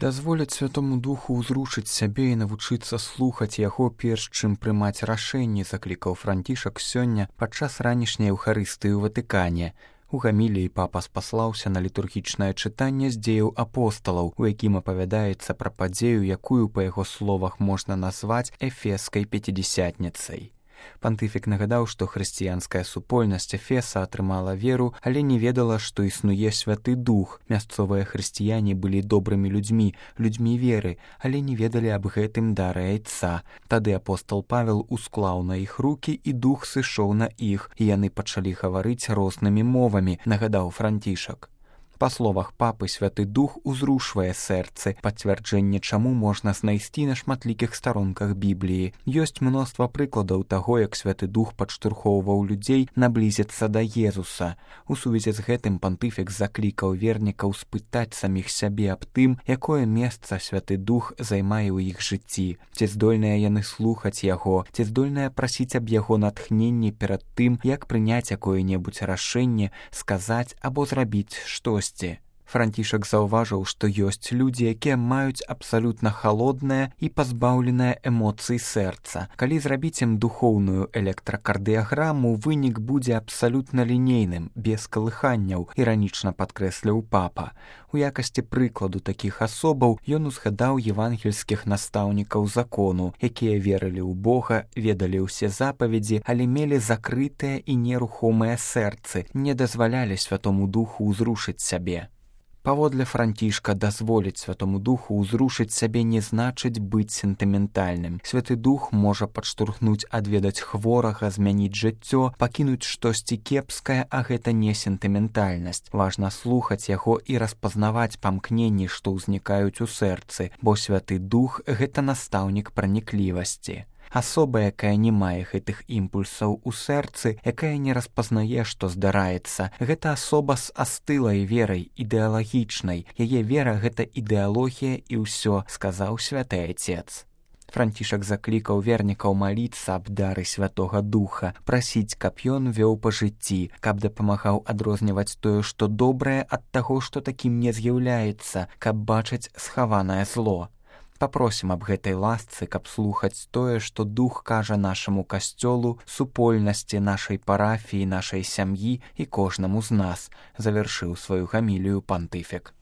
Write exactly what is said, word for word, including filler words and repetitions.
Дазволяць Святому Духу ўзрушыць сябе і навучыцца слухаць яго, перш чым прымаць рашэнні, заклікаў Францішак сёння падчас ранішняй Еўхарыстыі ў Ватыкане. У гаміліі папа спаслаўся на літургічнае чытанне з дзеяў апосталаў, у якім апавядаецца пра падзею, якую, па яго словах, можна назваць эфескай пяцідзясятніцай. Пантыфік нагадаў, што хрысціянская супольнасць Эфеса атрымала веру, але не ведала, што існуе Святы Дух. Мясцовыя хрысціяне былі добрымі людзьмі, людзьмі веры, але не ведалі аб гэтым дары Айца. Тады апостол Павел усклаў на іх рукі, і Дух сышоў на іх, і яны пачалі гаварыць рознымі мовамі, нагадаў Францішак. Па словах папы, Святы Дух узрушвае сэрцы, пацвярджэнне чаму можна знайсці на шматлікіх старонках Бібліі. Ёсць мноства прыкладаў таго, як Святы Дух падштурхоўваў людзей наблізіцца да Езуса. У сувязі з гэтым пантыфік заклікаў вернікаў спытаць саміх сябе аб тым, якое месца Святы Дух займае ў іх жыцці. Ці здольныя яны слухаць яго, ці здольныя прасіць аб яго натхненні перад тым, як прыняць якое-небудзь рашэнне, сказаць або зрабіць штось. Францішак заўважыў, што ёсць людзі, якія маюць абсалютна халоднае і пазбаўленае эмоцый сэрца. Калі зрабіць ім духоўную электракардыяграму, вынік будзе абсалютна лінейным, без калыханняў, іранічна падкрэсліў папа. У якасці прыкладу такіх асобаў ён узгадаў евангельскіх настаўнікаў закону, якія верылі ў Бога, ведалі ўсе запаведзі, але мелі закрытыя і нерухомыя сэрцы, не дазвалялі Святому Духу ўзрушыць сябе. Паводле Францішка, дазволіць Святому Духу ўзрушыць сябе не значыць быць сентыментальным. Святы Дух можа падштурхнуць адведаць хворага, змяніць жыццё, пакінуць штосьці кепскае, а гэта не сентыментальнасць. Важна слухаць яго і распазнаваць памкненні, што ўзнікаюць у сэрцы, бо Святы Дух — гэта настаўнік праніклівасці. Асоба, якая не мае гэтых імпульсаў у сэрцы, якая не распазнае, што здараецца, гэта асоба з астылай верай, ідэалагічнай. Яе вера — гэта ідэалогія і ўсё, сказаў Святы Айцец. Францішак заклікаў вернікаў маліцца аб дары Святога Духа, прасіць, каб ён вёў па жыцці, каб дапамагаў адрозніваць тое, што добрае, ад таго, што такім не з'яўляецца, каб бачыць схаванае зло. Папросім аб гэтай ласцы, каб слухаць тое, што Дух кажа нашаму касцёлу, супольнасці, нашай парафіі, нашай сям'і і кожнаму з нас, завяршыў сваю гамілію пантыфік.